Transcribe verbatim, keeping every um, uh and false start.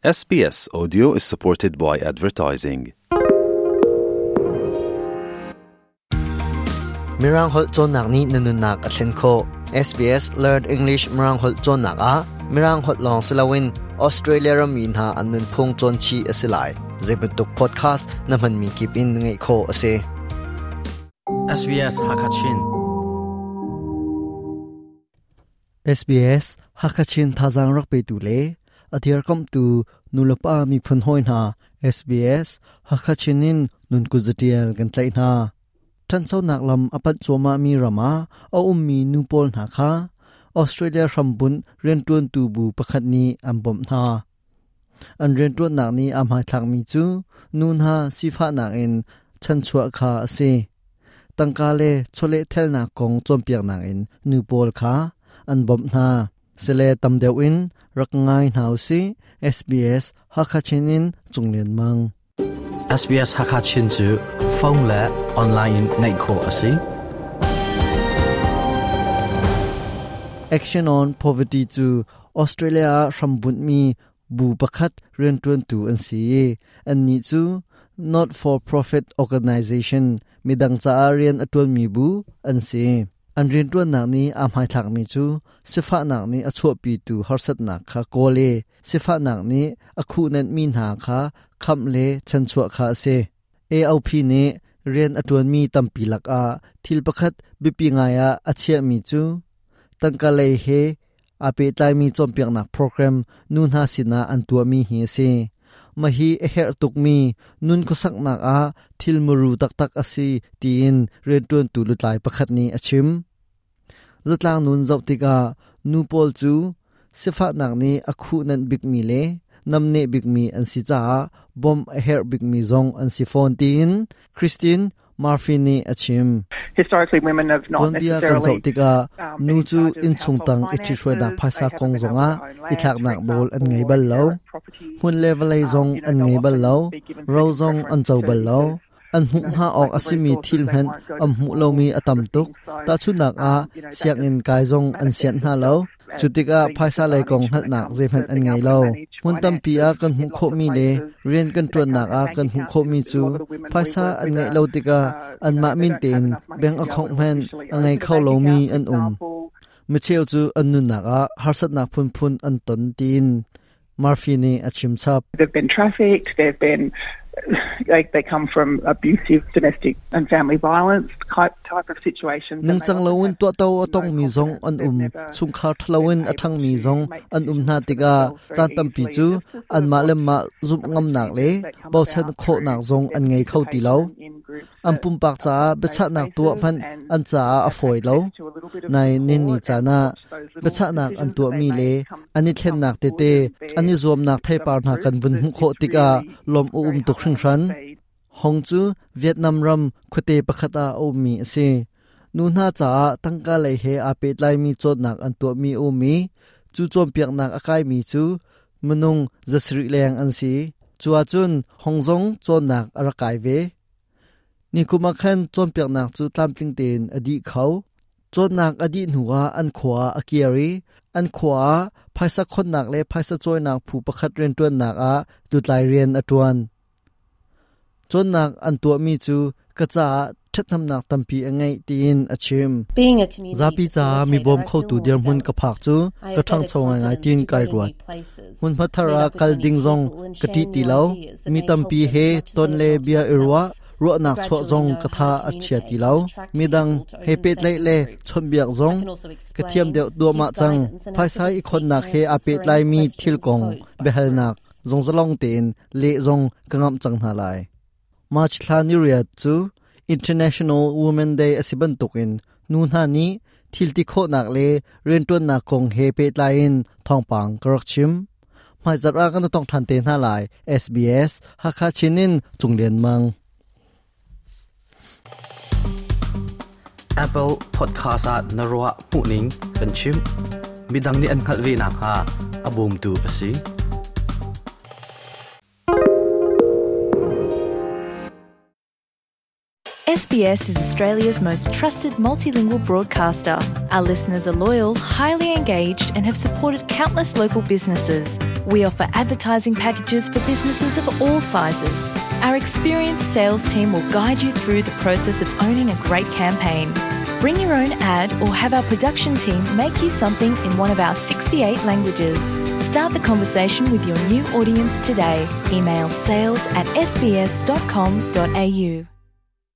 S B S Audio is supported by advertising. Mirang holh cawnnak nih na nunnak a thlen khawh. S B S Learn English Mirang holh cawnnak ah Mirang holh lawng si loin Australia ram mi hna an nunphung cawn chih a si lai. Zeibantuk podcast na hmanmi kip in ngaih khawh a si. S B S Hakachin. S B S Hakachin thazang rak pe tu le athiar kam tu nulapa mi phun hoi hna, S B S Hakachinin nun ku zatial kan tlai hna. Than so nak lam apat choma mi rama a um mi nu pol hna kha Australia rambun rian tuan tu bu pakhat ni an bom hna. An rian tuan nak ni am hai thlak mi chu nun ha sifa nak in chan chua kha ase. Tangka le chole thel na kong chom piak nak in nu pol kha an bom hna. Sele tam deuh in rak ngai hna si. S B S Hakachinin Chunglen Mang. S B S Hakachin chu phone le online in ngaih khawh a si. Action on Poverty chu Australia rambun mi bu pakhat rian tuan tu an si. An ni chu not for profit organization, midang cha rian atuan mi bu an si. An rian tuan nak ni am hai thak mi chu sifa nak ni achho pi tu harsat nak kha kole sifa nak ni akhu nan mi na kha kham le chan chua kha se. A O P ne rian atuan mi tampi lak a thil pakhat bipi nga ya achia mi chu tangka lei he ape tlai mi chompiak nak program nu na sina an tua mi hi se. Ma hi a her tuk mi nun ko sak nak a thil muru tak tak asi tiin rian tuan tu lu tlai pakhat ni achim. Zatlang nun zau tika nu pol chu sifa nak ni akhu nan big mi le nam ne big mi an si cha bom a her big mi zong an si phone tin Christine Murphy ni achim. Historically, women have not Tuan bia kan necessarily zau tika um, nu been in chu charge of in chung tang household i thi hruai dak finances. phaisa They kong haven't been zonga able to own i thlak land, nak for bol an example, ngei or bal lo, inherit property. Hun level Um, zong you know, an they'll ngei bal often lo, be given ro second zong an preference chau to bal lo, because an hmu you know, ha ok lack of asimi resources, thil they hen won't go am to hmu lo mi school, atam sort of tuk thing. So, ta chu nak a um, you know, that siang just in kai zong an sian manifests hna lo. itself as Chutika being phaisa lei kong disadvantaged hal when it nak comes ze to phan an being ngei able to lo. manage Hun tam pi a finances kan hmu in kho lots of mi le places. rian kan They tuan can't nak have a bank kan hmu accounts kho mi because a chu lot of the women we phaisa work an with ngei are, lo tika uh, an you know, ma they min don't have ten enough money bank to be able account to man officially a ngei open a kho bank lo mi account, for an um. example. Mi cheu chu an nun nak a harsat nak phun phun an ton tin Murphy ni achim chap. They've been trafficked, they've been, like, they come from abusive domestic and family violence type, type of situations. Nang And they chang often lo in have to to no atong mi zong confidence. An They've um never chungkhar thlawin been able athang mi to zong make an um na decisions for tika themselves very chan tam pi easily. chu And just to sort an of ma watch lem ma zum the ngam nak le procedures that come bo chan about kho through nak zong their an ngei kho ti lo. participation in groups An that pum pak are cha safe be cha nak tu spaces phan and an cha a have foi lo. access to a little bit of Nai nin ni support cha and na watch those be little cha nak an decisions tu that they mi le make come ani thlen come nak te forward te and bear ani zom nak thai some par na fruit. kan vun That hu kho it's tika really lom u very um tuk hring heartening hran. to see. Hong chu Vietnam ram khute pakhata o mi ase. Nu na cha tangka lei he a pe lai mi chot nak an to mi o mi chu chom piak nak akai mi chu munung zasri leng an si. Chuwa chun hongzong chon nak arakai ve ni kuma khan chom piak nak chu tlamtling ten adi khau chon nak adi nuwa an khwa akiari an khwa phaisa khon nak le phaisa choi nak phu pakhat ren tuan nak a tutlai rian atuan chon nak an tua mi chu kacha thatnam nak tampi angai tin achim. Being a community Zapi cha mi facilitator, bom I kho feel tu more dir mun ka developed. phak chu I ka have thang better chonga ngai confidence tin to kai go to ruat new places, hun meet phathara up with kal many ding zong people and ka ti share ti new lo ideas that mi may tam help pi them he as much as ton they le have helped bia irwa myself. ro nak chho Gradually zong know ka how tha to a chia ti communicate lo and attract mi dang people to he open pet lai savings le groups. chon biak I zong can also ka thiam explain, deuh dua ma give chang guidance and phaisa i actively khon seek nak he a answers pet for lai any mi thil questions kong posed by behal nak groups. zong zalong ten le zong ka ngam chang na lai. March thla ni riat chu International Women Day asiban tukin nu na ni thil ti kho nak le ren ton nak kong he pe line thong pang karak chim mai zara kan tong than te na lai. S B S Hakha Chinin Chunglen Mang. Apple Podcast at na ruah hmuhning kan chim. Midang nih an hngalh ve nakhnga a bawmtu a si. SBS is Australia's most trusted multilingual broadcaster. Our listeners are loyal, highly engaged, and have supported countless local businesses. We offer advertising packages for businesses of all sizes. Our experienced sales team will guide you through the process of owning a great campaign. Bring your own ad or have our production team make you something in one of our sixty-eight languages. Start the conversation with your new audience today. Email sales at S B S dot com dot A U.